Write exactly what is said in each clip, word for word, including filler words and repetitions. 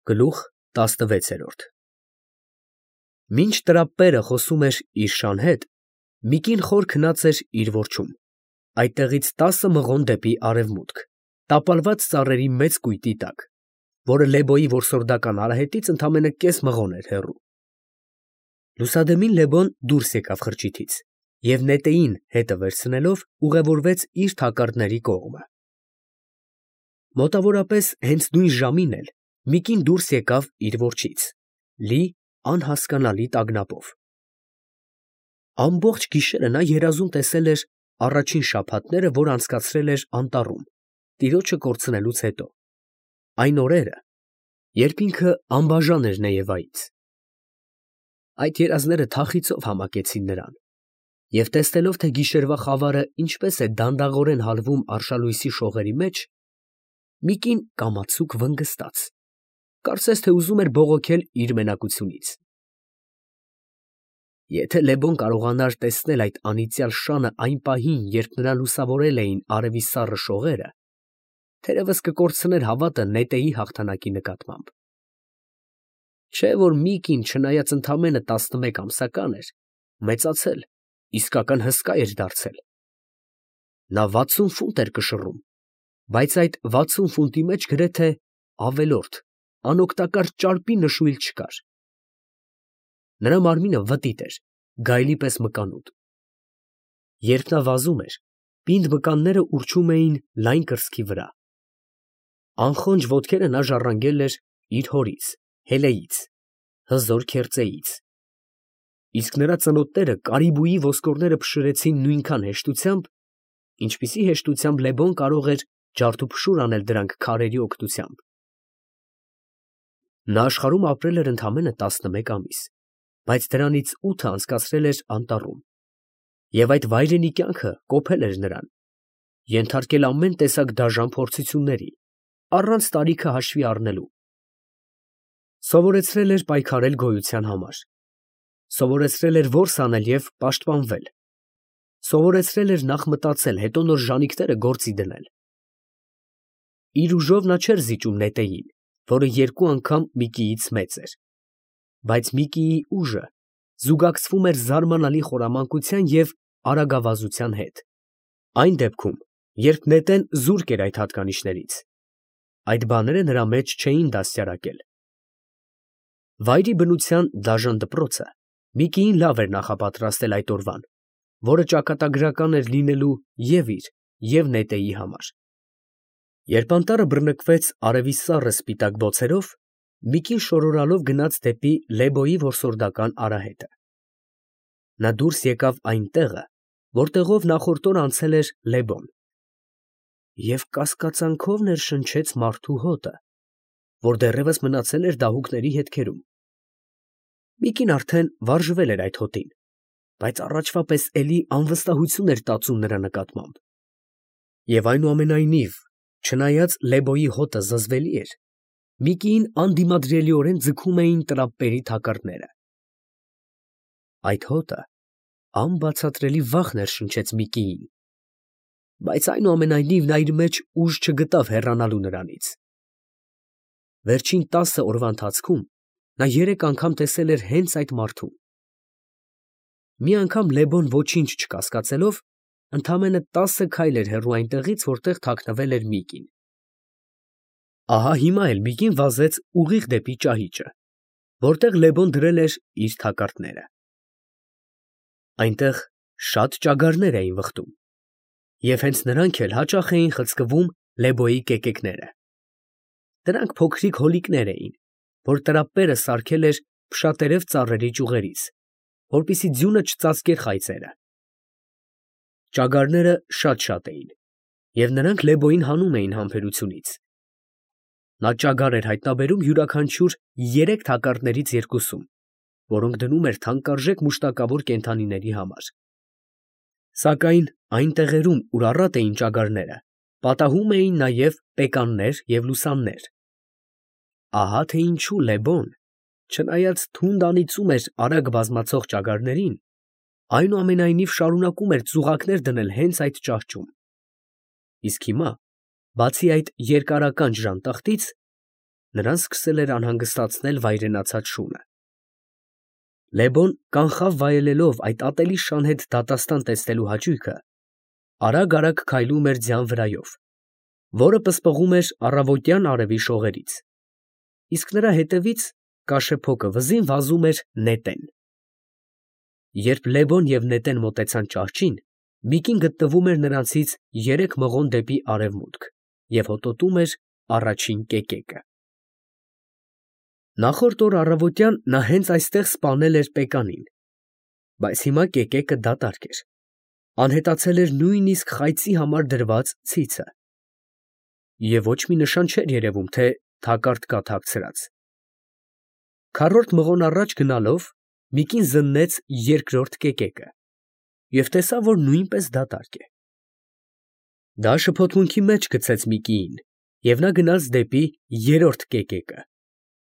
Գլուխ տասնվեցերորդ Մինչ տրապպերը խոսում էր իր շան հետ, մի կին խոր քնած էր իր որջում, այդտեղից տասը մղոն դեպի արևմուտք, տապալված ծառերի մեծ կույտի տակ, որը Լեբոյի որսորդական արահետից ընդամենը կես մղոն էր հեռու։ Լուսադեմին Լեբոն դուրս եկավ խրճիթից և նետեին հետը վերցնելով ուղևորվեց իր թակարդների կողմը։ Մոտավորապես հենց նույն ժամին էլ մի կին դուրս եկավ իր որջից, լի անհասկանալի տագնապով։ Ամբողջ գիշերը նա երազում տեսել էր առաջին շաբաթները, որ անցկացրել էր անտառում, տիրոջը կորցնելուց հետո, այն օրերը, երբ ինքը անբաժան էր Նեևայից։ Այդ երազները թախիծով համակեցին նրան, և տեսնելով, թե գիշերվա խավարը ինչպես է դանդաղորեն հալվում արշալույսի շողերի մեջ, մի կին կամացուկ վնգստաց, կարծես թե ուզում էր բողոքել իր մենակությունից։ Եթե Լեբոն կարողանար տեսնել այդ անիծյալ շանը այն պահին, երբ նրան լուսավորել էին արևի սառը շողերը, թերևս կկորցներ հավատը նետեի հաղթանակի նկատմամբ։ Չէ՞ որ մի կին, չնայած ընդամենը տասնմեկ ամսական էր, մեծացել, իսկական հսկա էր դարձել։ Նա վաթսուն ֆունտ էր կշռում, բայց այդ վաթսուն ֆունտի մեջ գրեթե ավելորդ, անօգտակար ճարպի նշույլ չկար։ Նրա մարմինը վտիտ էր, գայլի պես մկանուտ։ Երբ նա վազում էր, պինդ մկանները ուռչում էին լայն կրծքի վրա։ Անխոնջ ոտքերը նա ժառանգել էր իր հորից, Հելեից, հզոր քերծեից։ Իսկ նրա ծնոտները կարիբուի ոսկորները փշրեցին նույնքան հեշտությամբ, ինչպիսի հեշտությամբ Լեբոն կարող էր ջարդուփշուր անել դրանք քարերի օգնությամբ։ Նա աշխարհում ապրել էր ընդամենը տասնմեկ ամիս, բայց դրանից ութը անցկացրել էր անտառում, և այդ վայրենի կյանքը կոփել էր նրան, ենթարկել ամեն տեսակ դաժան փորձությունների, առանց տարիքը հաշվի առնելու։ Սովորեցրել էր պայքարել գոյության համար, սովորեցրել էր որս անել և պաշտպանվել, սովորեցրել էր նախ մտածել, հետո նոր ժանիքները գործի դնել։ Իր ուժով նա չէր զիջում նետեին, որը երկու անգամ Միկիից մեծ էր, բայց Միկիի ուժը զուգակցվում էր զարմանալի խորամանկության և արագավազության հետ, այն դեպքում, երբ նետեն զուրկ էր այդ հատկանիշներից, այդ բաները նրա մեջ չէին դաստիարակել։ Վայրի բնության դաժան դպրոցը Միկիին լավ էր նախապատրաստել այդ օրվան, որը ճակատագրական էր լինելու և իր, և նետեի համար։ Երբ անտառը բռնկվեց արևի սառը սպիտակ բոցերով, մի կին շորորալով գնաց դեպի Լեբոյի որսորդական արահետը։ Նա դուրս եկավ այն տեղը, որտեղով նախորդ օրը անցել էր Լեբոն, և կասկածանքով ներշնչեց մարդու հոտը, որ դեռևս մնացել էր դահուկների հետքերում։ Մի կին արդեն վարժվել էր այդ հոտին, բայց առաջվա պես էլի անվստահություն էր տածում նրա նկատմամբ։ Եվ այնուամենայնիվ, չնայած Լեբոյի հոտը զզվելի էր, Միկիին անդիմադրելիորեն ձգում էին տրապպերի թակարդները։ Այդ հոտը անբացատրելի վախ ներշնչեց Միկիին, բայց այնուամենայնիվ նա իր մեջ ուժ չգտավ հեռանալու նրանից։ Վերջին տասը օրվա ընթացքում նա երեք անգամ տեսել էր հենց այդ մարդուն։ Մի անգամ Լեբոն ոչինչ չկասկածելով, ընդամենը տասը քայլ էր հեռու այնտեղից, որտեղ թաքնվել էր Միկին։ Ահա հիմա էլ Միկին վազեց ուղիղ դեպի ճահիճը, որտեղ Լեբոն դրել էր իր թակարդները։ Այնտեղ շատ ճագարներ էին վխտում, և հենց նրանք էլ հաճախ էին խցկվում Լեբոյի կեկեկները։ Դրանք փոքրիկ հոլիկներ էին, որ տրապպերը սարքել էր փշատերև ծառերի ճյուղերից, որպեսզի ձյունը չծածկեր խայծերը։ Ճագարները շատ֊շատ էին, և նրանք Լեբոյին հանում էին համբերությունից։ Նա ճագար էր հայտնաբերում յուրաքանչյուր երեք թակարդներից երկուսում, որոնք դնում էր թանկարժեք մուշտակավոր կենդանիների համար։ Սակայն այն տեղերում, ուր առատ էին ճագարները, պատահում էին նաև պեկաններ և լուսաններ։ Ահա թե ինչու Լեբոն, չնայած թունդ անիծում էր արագ բազմացող ճագարներին, այնուամենայնիվ շարունակում էր ծուղակներ դնել հենց այդ ճահճում։ Իսկ հիմա, բացի այդ երկարականջ ժանտախտից, նրան սկսել էր անհանգստացնել վայրենացած շունը։ Լեբոն կանխավ վայելելով այդ ատելի շան հետ դատաստան տեսնելու հաճույքը, արագ֊արագ քայլում էր ձյան վրայով, որը պսպղում էր առավոտյան արևի շողերից, իսկ նրա հետևից կաշեփոկը վզին վազում էր նետեն։ Երբ Լեբոն և նետեն մոտեցան ճահճին, Միկին գտնվում էր նրանցից երեք մղոն դեպի արևմուտք և հոտոտում էր առաջին կեկեկը։ Նախորդ օր առավոտյան նա հենց այստեղ սպանել էր Պեկանին, բայց հիմա կեկեկը դատարկ էր, անհետացել էր նույնիսկ խայծի համար դրված ցիցը, և ոչ մի նշան չէր երևում, թե թակարդ կա թաքցրած։ Քառորդ մղոն առաջ գնալով Միկին զննեց երկրորդ կեկեկը և տեսավ, որ նույնպես դատարկ է։ Դա շփոթմունքի մեջ գցեց Միկիին, և նա գնաց դեպի երրորդ կեկեկը,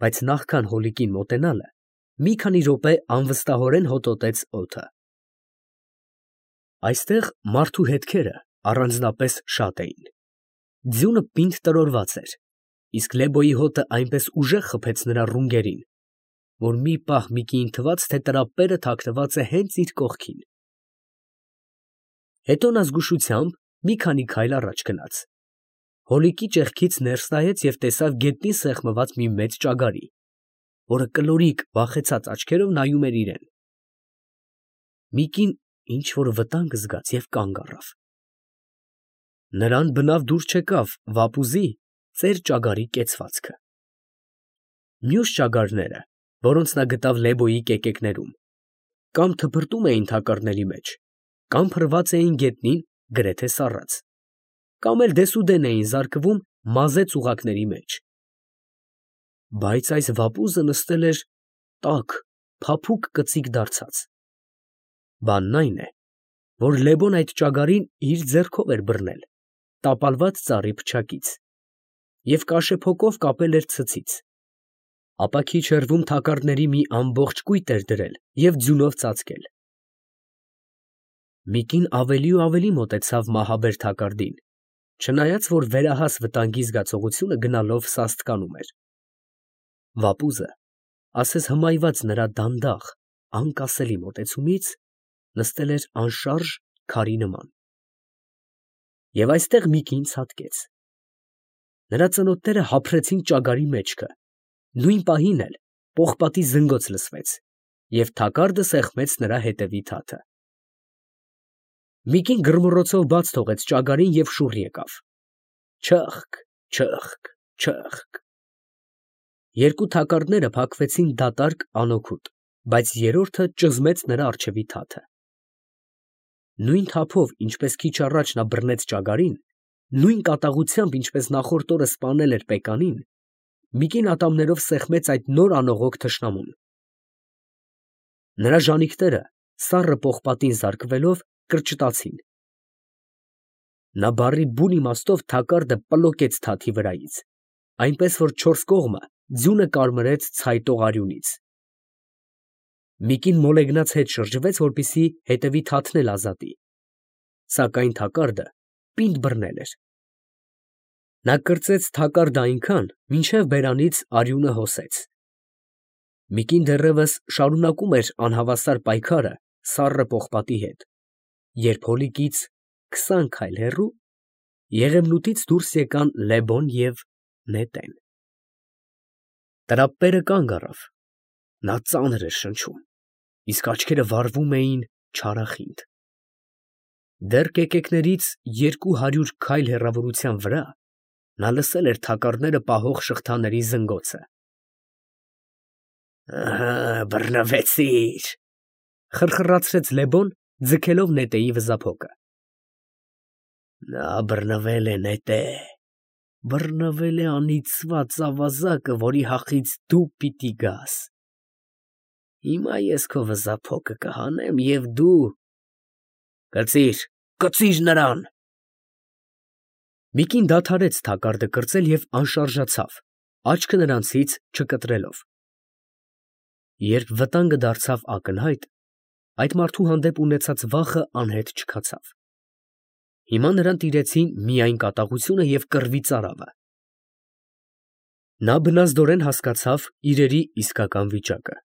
բայց նախքան հոլիկին մոտենալը, մի քանի րոպե անվստահորեն հոտոտեց օդը։ Այստեղ մարդու հետքերը առանձնապես շատ էին։ Ձյունը պինդ տրորված էր, իսկ Լեբոյի հոտը այնպես ուժեղ խփեց նրա ռունգերին, որ մի պահ Միկիին թվաց, թե տրապերը թաքնված է հենց իր կողքին։ Հետո նա զգուշությամբ մի քանի քայլ առաջ գնաց, հոլիկի ճեղքից ներս նայեց և տեսավ գետնին սեղմված մի մեծ ճագարի, որը կլորիկ վախեցած աչքերով նայում էր իրան։ Միկին ինչ֊որ վտանգ զգաց և կանգ առավ։ Նրան բնավ դուր չեկավ վապուզի ծեր ճագարի կեցվածքը։ Մյուս ճագարները, որոնց նա գտավ Լեբոյի կեկեկներում, կամ թփրտում էին թակարդների մեջ, կամ փռված էին գետնին գրեթե սառած, կամ էլ դեսուդեն էին զարկվում մազե ծուղակների մեջ։ Բայց այս վապուզը նստել էր տաք, փափուկ կծիկ դարձած։ Բանն այն է, որ Լեբոն այդ ճագարին իր ձեռքով էր բռնել, տապալված ծառի փչակից, և կաշեփոկով կապել էր ցցից, ապա քիչ հեռվում թակարդների մի ամբողջ կույտ էր դրել և ձյունով ծածկել։ Միկին ավելի ու ավելի մոտեցավ մահաբեր թակարդին, չնայած որ վերահաս վտանգի զգացողությունը գնալով սաստկանում էր։ Վապուզը, ասես հմայված նրա դանդաղ, անկասելի մոտեցումից, նստել էր անշարժ քարի նման։ Եվ այստեղ Միկին ցատկեց։ Նրա ծնոտները հափռեցին ճագարի մեջքը, նույն պահին էլ պողպատի զնգոց լսվեց, և թակարդը սեղմեց նրա հետևի թաթը։ Միկին գրմռոցով բաց թողեց ճագարին և շուռ եկավ։ Չըխկ, չըխկ, չըխկ։ Երկու թակարդները փակվեցին դատարկ, անօգուտ, բայց երրորդը ճզմեց նրա առջևի թաթը։ Նույն թափով, ինչպես քիչ առաջ նա բռնեց ճագարին, նույն կատաղությամբ, ինչպես նախորդ օրը սպանել էր Պեկանին, Միկին ատամներով սեղմեց այդ նոր անողոք թշնամուն։ Նրա ժանիքները, սառը պողպատին զարկվելով, կրճտացին։ Նա բառի բուն իմաստով թակարդը պլոկեց թաթի վրայից, այնպես որ չորս կողմը ձյունը կարմրեց ցայտող արյունից։ Միկին մոլեգնած հետ շրջվեց, որպեսզի հետևի թաթն էլ ազատի, սակայն թակարդը պինդ բռնել էր։ Նա կրծեց թակարդը այնքան, մինչև բերանից արյունը հոսեց։ Միկին դեռևս շարունակում էր անհավասար պայքարը սառը պողպատի հետ, երբ հոլիկից քսան քայլ հեռու եղևնուտից դուրս եկան Լեբոն և նետեն։ Տրապերը կանգ առավ, նա ծանր էր շնչում, իսկ աչքերը վառվում էին չարախինդ։ Դեռ կեկեկներից երկու հարյուր քայլ հեռավորության վրա նա լսել էր թակարդները պահող շղթաների զնգոցը։ «Ահա, բռնվեցիր», ֊ խռխռացրեց Լեբոն, ձգելով նետեի վզափոկը։ Նա բռնվել է, նետե, բռնվել է անիծված ավազակը, որի հախից դու պիտի գաս։ Հիմա ես քո վզափոկը կհանեմ, և դու… Կծիր, կծիր նրան։ Միկին դադարեց թակարդը կրծել և անշարժացավ, աչքը նրանցից չկտրելով։ Երբ վտանգը դարձավ ակնհայտ, այդ մարդու հանդեպ ունեցած վախը անհետ չքացավ։ Հիմա նրան տիրեցին միայն կատաղությունը և կռվի ծարավը։ Նա բնազդորեն հասկացավ իրերի իսկական վիճակը.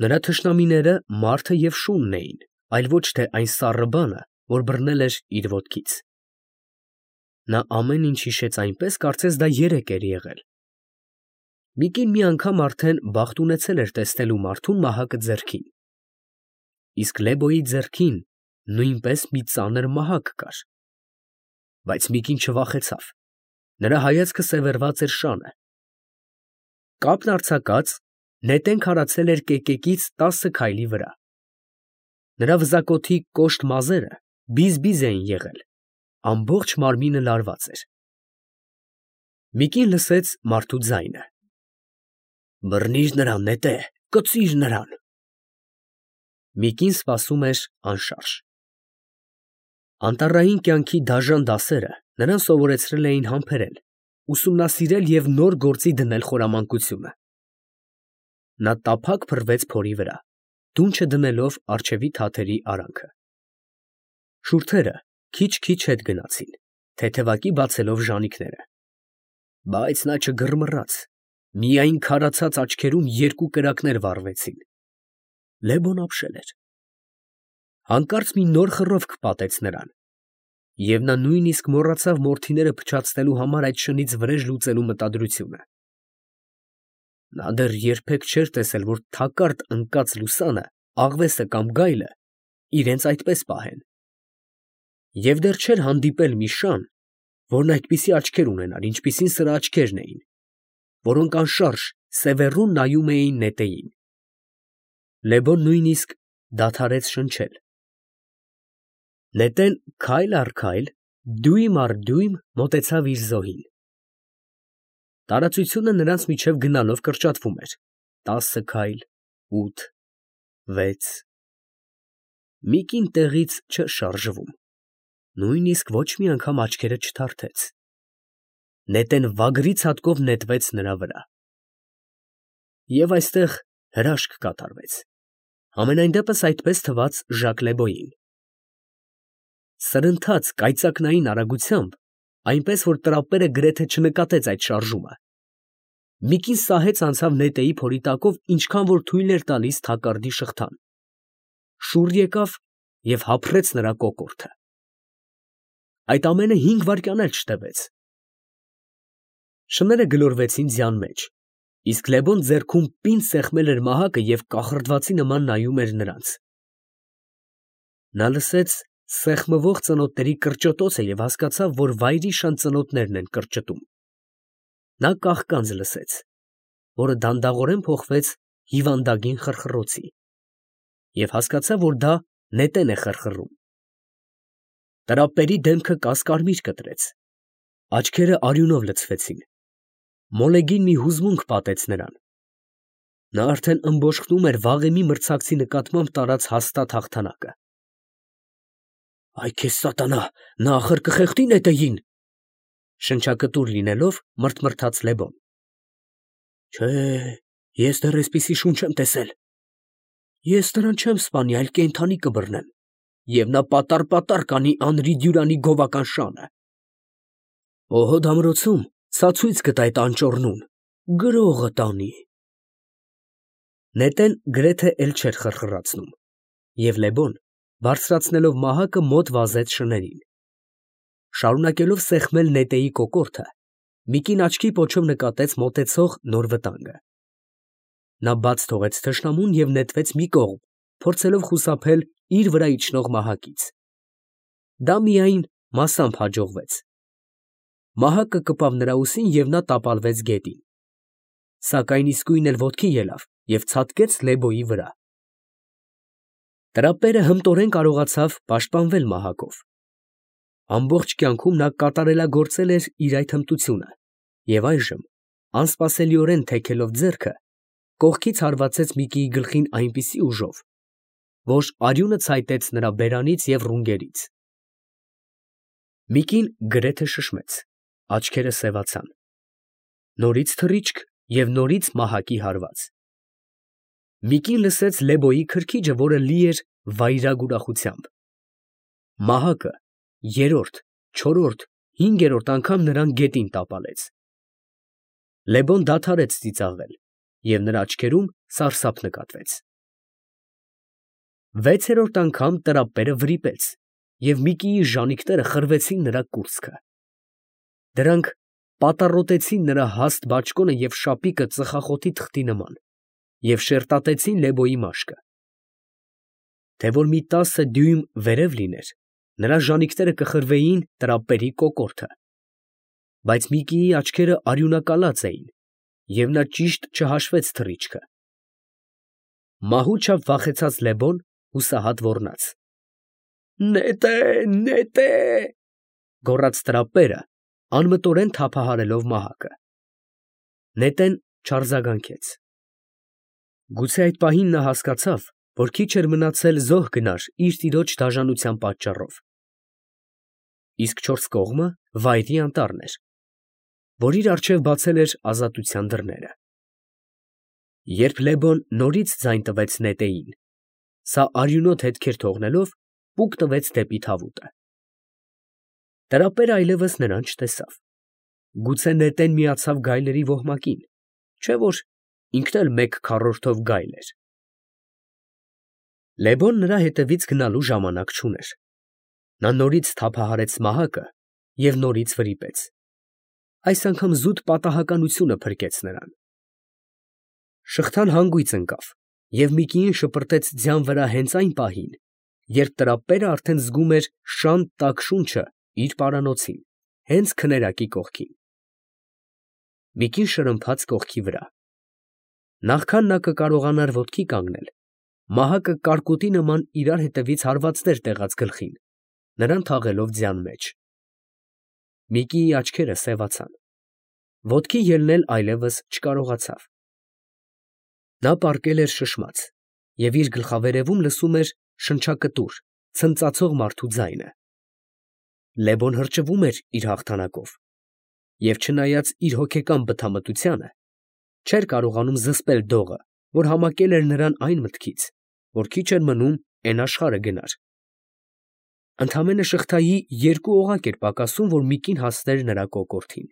նրա թշնամիները մարդը և շունն էին, այլ ոչ թե այն սառը բանը, որ բռնել էր իր ոտքից։ Նա ամեն ինչ հիշեց այնպես, կարծես դա երեկ էր եղել։ Մի կին մի անգամ արդեն բախտ ունեցել էր տեսնելու մարդուն մահակը ձեռքին, իսկ Լեբոյի ձեռքին նույնպես մի ծանր մահակ կար։ Բայց մի կին չվախեցավ, նրա հայացքը սևեռված էր շանը։ Կապն արձակած, նետեն քարացել էր կեկեկից տասը քայլի վրա։ Նրա վզակոթի կոշտ մազերը բիզ-բիզ էին եղել, ամբողջ մարմինը լարված էր։ Մի կին լսեց մարդու ձայնը. «Բռնի՛ր նրան, նետե, կծի՛ր նրան»։ Մի կին սպասում էր անշարժ։ Անտառային կյանքի դաժան դասերը նրան սովորեցրել էին համբերել, ուսումնասիրել և նոր գործի դնել խորամանկությունը։ Նա տափակ փռվեց փորի վրա, դունչը դնելով առջևի թաթերի արանքը։ Շուրթերը քիչ֊քիչ հետ գնացին, թեթևակի բացելով ժանիքները։ Բայց նա չգռմռաց, միայն քարացած աչքերում երկու կրակներ վառվեցին։ Լեբոն ապշել էր։ Հանկարծ մի նոր խռովք պատեց նրան, և նա նույնիսկ մոռացավ մորթիները փչացնելու համար այդ շնից վրեժ լուծելու մտադրությունը։ Նա դեռ երբեք չէր տեսել, որ թակարդ ընկած լուսանը, աղվեսը կամ գայլը իրենց այդպես պահեն։ Եվ դեռ չէր հանդիպել մի շան, որն այդպիսի աչքեր ունենար, ինչպիսին սրա աչքերն էին, որոնք անշարժ սևեռուն նայում էին նետեին։ Լեբոն նույնիսկ դադարեց շնչել։ Նետեն քայլ առ քայլ, դյույմ առ դյույմ մոտեցավ իր զոհին։ Տարածությունը նրանց միջև գնալով կրճատվում էր. տասը քայլ, ութ, վեց… Մի կին տեղից չէր շարժվում, նույնիսկ ոչ մի անգամ աչքերը չթարթեց։ Նետեն վագրի ցատկով նետվեց նրա վրա։ Եվ այստեղ հրաշք կատարվեց, համենայն դեպս այդպես թվաց Ժակ Լեբոյին։ Սրընթաց կայծակնային արագությամբ, այնպես որ տրապերը գրեթե չնկատեց այդ շարժումը, մի կին սահեց անցավ նետեի փորի տակով, ինչքան որ թույլ էր տալիս թակարդի շղթան, շուռ եկավ և հափռեց նրա կոկորդը։ Այդ ամենը հինգ վայրկյան էլ չտևեց։ Շները գլորվեցին ձյան մեջ, իսկ Լեբոն ձեռքում պինդ սեղմել էր մահակը և կախրդվածի նման նայում էր նրանց։ Նա լսեց սեղմվող ծնոտների կրճտոցը և հասկացավ, որ վայրիշան ծնոտներն են կրճտում։ Նա կաղկանձ լսեց, որը դանդաղորեն փոխվեց հիվանդագին խռխռոցի, և հասկացավ, որ դա նետեն է խռխռում։ Տրապերի դեմքը կասկարմիր կտրեց, աչքերը արյունով լցվեցին, մոլեգին մի հուզմունք պատեց նրան։ Նա արդեն ըմբոշխնում էր վաղեմի մրցակցի նկատմամբ տարած հաստատ հաղթանակը։ «Այ քեզ սատանա, նա ախր կխեղդի նետեին», շնչակտուր լինելով մռթմռթաց Լեբոն։ Չէ, ես դեռ էսպիսի շունչ չեմ տեսել։ Ես նրան չեմ սպանի, այլ կենդանի կբռնեմ, և նա պատառ֊պատառ կանի Անրի Դյուրանի գովական շանը։ Պոհոդ ամրոցում սա ցույց կտա այդ անճոռնուն, գրողը տանի։ Նետեն գրեթե էլ չէր խռխռացնում, և Լեբոն, բարձրացնելով մահակը, մոտ վազեց շներին։ Շարունակելով սեղմել նետեի կոկորդը, մի կին աչքի պոչով նկատեց մոտեցող նոր վտանգը։ Նա բաց թողեց թշնամուն և նետվեց մի կողմ, փորձելով խուսափել իր վրա իջնող մահակից։ Դա միայն մասամբ հաջողվեց։ Մահակը կպավ նրա ուսին, և նա տապալվեց գետին, սակայն իսկույն էլ ոտքի ելավ և ցատկեց Լեբոյի վրա։ Տրապերը հմտորեն կարողացավ պաշտպանվել մահակով։ Ամբողջ կյանքում նա կատարելագործել էր իր այդ հմտությունը, և այժմ, անսպասելիորեն թեքելով ձեռքը, կողքից հարվածեց մի կիի գլխին այնպիսի ուժով, որ արյունը ցայտեց նրա բերանից և ռունգերից։ Մի կին գրեթե շշմեց, աչքերը սևացան։ Նորից թռիչք և նորից մահակի հարված։ Մի կին լսեց Լեբոյի քրքիջը, որը լի էր վայրագ ուրախությամբ։ Մահակը երրորդ, չորրորդ, հինգերորդ անգամ նրան գետին տապալեց։ Լեբոն դադարեց ծիծաղել, և նրա աչքերում սարսափ նկատվեց։ Վեցերորդ անգամ տրապերը վրիպեց, և Միկիի ժանիքները խրվեցին նրա կուրծքը. դրանք պատառոտեցին նրա հաստ բաճկոնը և շապիկը ծխախոտի թղթի նման և շերտատեցին Լեբոյի մաշկը։ Թե որ մի տասը դյույմ վերև լիներ, նրա ժանիքները կխրվեին տրապերի կոկորդը, բայց Միկիի աչքերը արյունակալած էին, և նա ճիշտ չհաշվեց թռիչքը։ Մահու չափ վախեցած Լեբոն հուսահատ ոռնաց. «Նետե, նետե» գոռաց տրապերը, անմտորեն թափահարելով մահակը։ Նետեն չարձագանքեց։ Գուցե այդ պահին նա հասկացավ, որ քիչ էր մնացել զոհ գնար իր տիրոջ դաժանության պատճառով։ Իսկ չորս կողմը վայրի անտառն էր, որ իր առջև բացել էր ազատության դռները։ Երբ Լեբոն նորից ձայն տվեց նետեին, սա արյունոտ հետքեր թողնելով, պուկ տվեց դեպի թավուտը։ Տրապերը այլևս նրան չտեսավ։ Գուցե նետեն միացավ գայլերի ոհմակին, չէ՞ որ ինքն էլ մեկ քառորդով գայլ էր։ Լեբոն նրա հետևից գնալու ժամանակ չուներ։ Նա նորից թափահարեց մահակը և նորից վրիպեց։ Այս անգամ զուտ պատահականությունը փրկեց նրան։ Շղթան հանգույց ընկավ, և Միկիին շպրտեց ձյան վրա հենց այն պահին, երբ տրապերը արդեն զգում էր շան տաք շունչը իր պարանոցին, հենց քներակի կողքին։ Միկին շրմփաց կողքի վրա։ Նախքան նա կկարողանար ոտքի կանգնել, մահակը կարկուտի նման իրար հետևից հարվածներ տեղաց գլխին, նրան թաղելով ձյան մեջ։ Միկիի աչքերը սևացան։ Ոտքի ելնել այլևս չկարողացավ։ Նա պառկել էր շշմած և իր գլխավերևում լսում էր շնչակտուր, ցնծացող մարդու ձայնը։ Լեբոն հրճվում էր իր հաղթանակով և, չնայած իր հոգեկան բթամտությանը, չէր կարողանում զսպել դողը, որ համակել էր նրան այն մտքից, որ քիչ էր մնում էն աշխարհը գնար։ Ընդամենը շղթայի երկու օղակ էր պակասում, որ Միկին հասներ նրա կոկորդին։